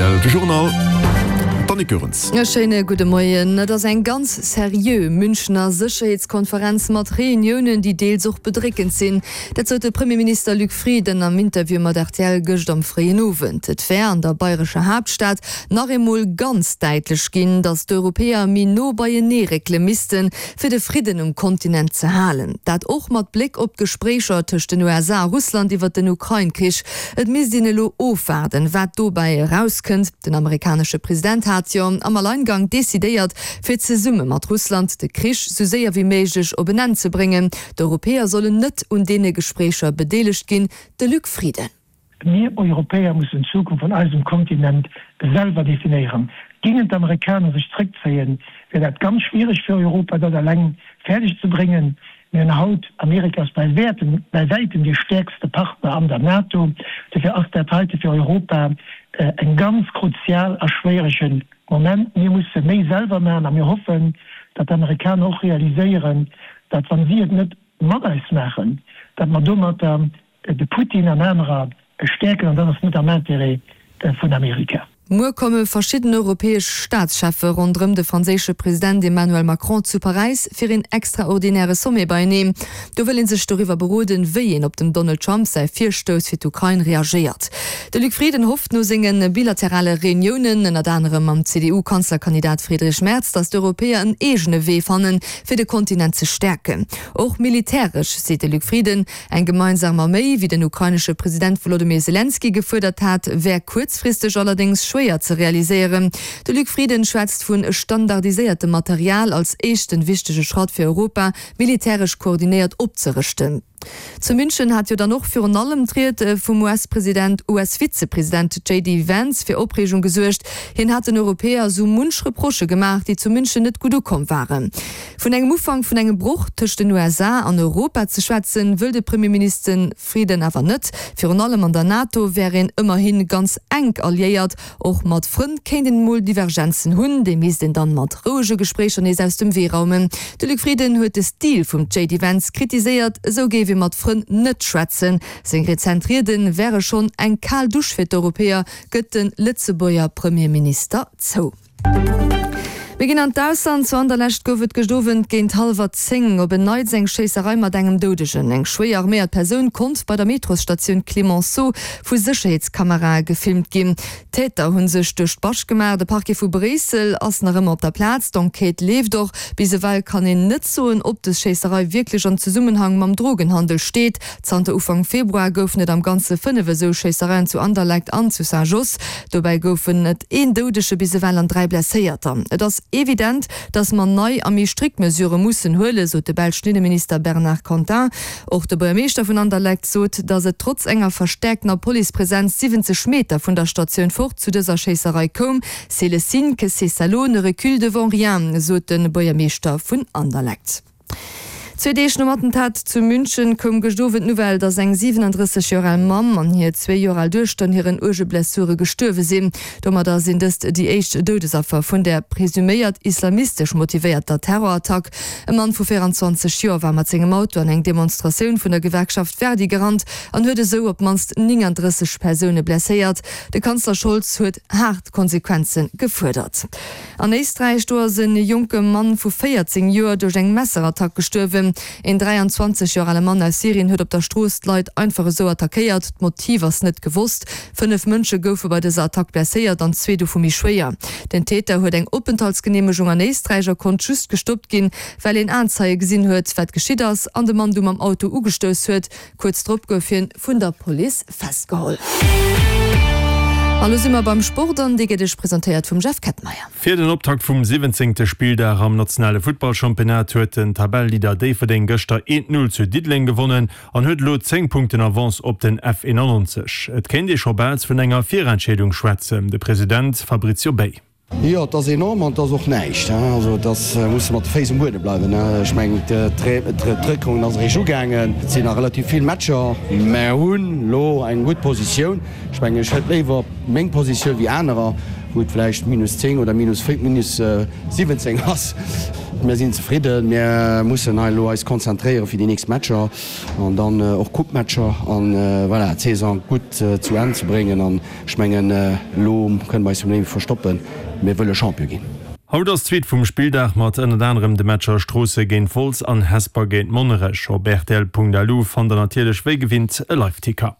rtl, de Journal, d'Annick Goerens. E schéine gudde Moien. Et ass eng ganz seriö Münchener Sécherheetskonferenz mat Reuniounen, déi deels och bedréckend sinn. Dat sot de Premierminister Luc Frieden am Interview mat rtl gëscht am fréien Owend. Et wär an der bayrescher Haaptstad nach eemol ganz däitlech ginn, datt d'Europäer méi no beienee réckele missten, fir de Fridden um Kontinent ze halen. Dat och mat Bléck op d'Gespréicher tëscht den USA a Russland iwwer den Ukrain-Krich. Et misst een elo ofwaarden, wat dobäi erauskënnt. Den amerikanesche President hat jo am Alleingang decidéiert, fir zesumme mat Russland de Krich sou séier wéi méiglech op en Enn ze bréngen. D'Europäer sollen net un deene Gespréicher bedeelegt ginn, de Luc Frieden. Mir Europäer mussen d'Zukunft vun eisem Kontinent selwer definéieren. Gingen d'Amerikaner sech zréckzéien, wär dat ganz schwiereg fir Europa, dat eleng fäerdeg ze bréngen. Mir hunn haut, Amerika ass bei wäertem, bei wäitem dee stäerkste Partner an der NATO. Dofir ass dat heite fir Europa eng ganz kruzial a schwéierege Moment. Mir musse méi selwer maachen a mir hoffen, datt d'Amerikaner och realiséieren, datt wa si et net mat eis maachen, datt mer domatter de Putin an anerer stäerken an dat ass net am Intérêt vun Amerika. Muer komme verschidden europäesch Staatscheffe ronderëm de franséische President Emmanuel Macron zu Paräis fir een extraordinäre Sommet beieneen. Do wëll ee sech doriwwer beroden, wéi een op dem Donald Trump säi Virstouss fir d'Ukrain reagéiert. De Luc Frieden hofft no senge bilaterale Reuniounen, ënnert anerem mam CDU-Kanzlerkandidat Friedrich Merz, datt d'Europäer en eegene Wee fannen, fir de Kontinent ze stäerken. Och militäresch, seet de Luc Frieden. Eng gemeinsam Arméi, wéi den ukrainesche President Wolodymyr Selenskyj gefuerdert hat, wär kuerzfristeg allerdéngs schwéier ze realiséieren. De Luc Frieden schwätzt vu standardiséiertem Material als éischten wichtege Schratt fir Europa militäresch koordinéiert opzerëschten. Zu München hat jo dann och virun allem d'Ried vum US-President US-Vizepresident JD Vance fir Opreegung gesuergt. Hien hat den Europäer sou munch Reprochë gemaach, déi zu München net gutt ukomm waren. Vun engem Ufank vun engem Broch tëscht den USA an Europa ze schwätzen, wëll de Premierminister Frieden awer net. Virun allem an der NATO wär een ëmmerhi ganz enk alliéiert. Och mat Frënn kéint een emol Divergenzen hunn, déi misst een dann mat rouege Gespréicher nees aus dem Wee raumen. De Luc Frieden huet de Stil vum JD Vance kritiséiert, esou géif ee mat Frënn net schwätzen. Seng rezent Riede wäre schonn eng kal Dusch fir d'Europäer, gëtt de Lëtzebuerger Premierminister zou. Mir ginn an d'Ausland. Zu Anderlecht gouf et gëscht Owend géint hallwer 10 op en Neits eng Schéisserei mat engem Doudegen. Eng schwéier arméiert Persoun konnt bei der Metrosstatioun Clemenceau vu Sécherheetskamerae gefilmt ginn. D'Täter hu sech duerch d'Bascht gemaach. De Parquet vu Bréissel ass nach ëmmer op der Plaz. D'Enquête leeft och. Bis ewell kann een net soen, ob dës Schéisserei wierklech an Zesummenhang mam Drogenhandel steet. Zanter Ufank Februar goufen et am Ganze 5 esou Schéissereien zu Anderlecht an zu Saint-Josse. Dobäi goufen et een Doudege bis ewell an 3 Blesséierter. Et ass evident, datt mer nei a méi strikt Mesurë mussen huelen, sot de belschen Inneminister Bernard Quantin. Och de Buergermeeschter vun Anderlecht sot, datt et trotz enger verstäerktener Policepresenz 70 Meter vun der Statioun fort zu dëser Schéisserei koum. C'est le signe que ces salauds ne reculent devant rien, sot de Buergermeeschter vun Anderlecht. Zwee Deeg nom Attentat zu München koum gëscht Owend d'Nouvelle, datt eng 37 Joer al Mamm an hir zwee Joer al Duechter un hiren uerge Blessure gestuerwe sinn. Domadder sinn dëst déi éischt Doudesaffer vun der presuméiert islamistesch motivéierter Terrorattack. E Mann vu 24 Joer war mat sengem Auto an eng Demonstratioun vun der Gewerkschaft Verdi gerannt an huet esou op d'mannst 39 Persoune blesséiert. De Kanzler Scholz huet haart Konsequenze gefuerdert. An Éisträich, do ass e jonke Mann vu 14 Joer duerch eng Messerattack gestuerwen. Een 23 Joer ale Mann aus Syrien huet op der Strooss d'Leit einfach esou attackéiert. D'Motiv ass net gewosst. 5 Mënsche goufe bei dëser Attack blesséiert an zwee dovu méi schwéier. Den Täter huet eng Openthaltsgeneemegung an Éisträich a konnt just gestoppt ginn, well een Aenzeie gesinn huet, wat geschitt ass an de Mann du mam Auto ugestouss huet. Kuerz drop gouf hien vun der Police festgeholl. A lo si mer beim Sport an dee gëtt iech presentéiert vum Jeff Kettmeyer. Fir den Optakt vum siwwenzéngte Spilldag am nationale Futtballchampionnat huet den Tabelleleader Déifferdeng gëschter 1, 0 zu Diddeleng gewonnen an huet elo 10 Punkten Avance op den F 91. Et kéint ee scho bal vun enger Virentscheedung schwätzen. De President Fabrizio Bay. Jo, et ass enorm an et ass och näischt. Also et ass, musse mat de Féiss um Buedem bleiwen. Ech mengen, d'Réckronn ass eréischt ugaangen. Et sinn nach relativ vill Matcher. Mer hunn elo eng gutt Positioun. Ech mengen, ech hätt léiwer meng Positioun wéi anerer. wou et vläicht minus 10 oder minus minus 17 ass. Mir sinn zefridden. Mir mussen hei elo eis konzentréiere fir déi nächst Matcher an dann och Coupe-Matcher an voilà, d'Saison gutt zu Enn ze bréngen. An ech mengen, elo kënne mer eis vum Léiwe verstoppen, mir wëlle Champion ginn. Haut ass d'Suite vum Spilldag mat ënnert anerem de Matcher Stroosse géint Wolz an Hesper géint Monnerech. Op rtl.lu fannt der natierlech wéi gewinnt e Live-Ticker.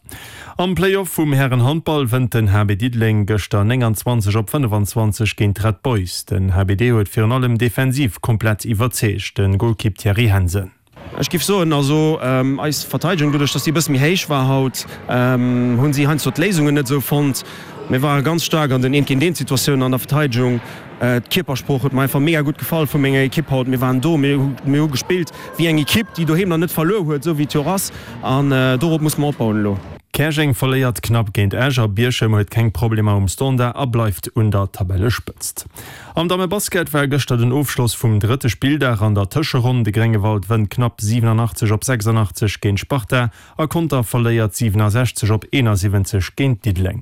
Am Play-Off vum Hären-Handball wënnt den HB Diddeleng gëschter 29 op 25 géint d'Red Boys. Den HBD huet virun allem defensiv komplett iwwerzeegt, de Golkipp Thierry Hensen. Ech giff soen, also eis Verteidegung, doduerch dass déi e bësse méi héich war haut, hunn si heiansdo d'Léisungen net esou fonnt. Mir ware ganz staark an den Eent-géint-eent-Situatiounen an der Verteidegung. D'Kierpersprooch huet mer einfach mega gutt gefall vu menger Ekipp haut. Mir waren do, mir hu gespillt wéi eng Ekipp, déi doheem nach net verluer huet, esou wéi et jo och ass. An dorop muss mer opbauen elo. Käerjeng verléiert knapp géint Esch a Bierchem huet keng Problemer um Standard a bleift un der Tabellespëtzt. Am Dammebasket war gëschter den Ofschloss vum drëtte Spilldag an der Tëscheronn. De Gréngewald wënnt knapp 87 op 86 géint Sparta a Conter verléiert 67 op 71 géint Diddeleng.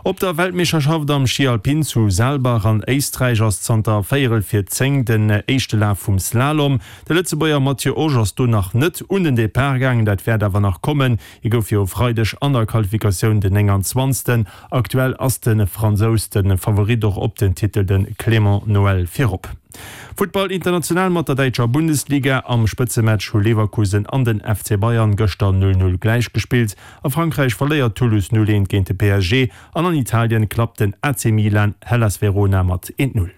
Op der Weltmeeschterschaft am Schi Alpin zu Saalbach an Éisträich ass zanter véierel vir 10 den éischte Laf vum Slalom. De Lëtzebuerger Matthieu Osch ass do nach net un den Depart gaangen, dat wäert awer nach kommen. Hie gouf jo e Freideg an der Qualifikatioun den 29. Aktuell ass de Fransous de Favorit och op den Titel, de Clément Noël virop. Futtball international mat der däitscher Bundesliga. Am Spëtzematch hu Leverkusen an den FC Bayern gëschter 0, 0 gläich gespillt. A Frankräich verléiert Toulouse 0, 1 géint de PSG an an Italien klappt den AC Milan Hellas Verona mat 1, 0.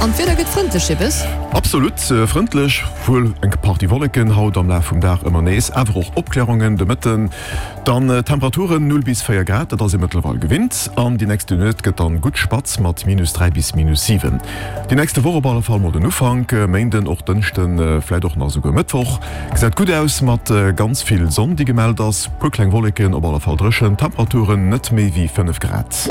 An d'Wieder gëtt frëndlech, Jibbes? Absolut frëndlech, wuel eng Partie Wolleken haut am Laf vum Dag ëmmer nees, awer och Opklärungen de Mëtten. Dann Temperaturen 0 bis 4 Grad, dat ass ee mëttlerweil gewinnt. An déi nächste Nuet gëtt dann gutt spatz mat minus 3 bis minus 7. Déi nächste Woch op alle Fall mol den Ufank, Méinden, och Dënschden, vläit och nach esouguer Mëttwoch, gesäit gutt aus mat ganz vill Sonn déi gemellt ass, puer kleng Wolleken, op alle Fall dréchen Temperaturen, net méi wéi 5 Grad.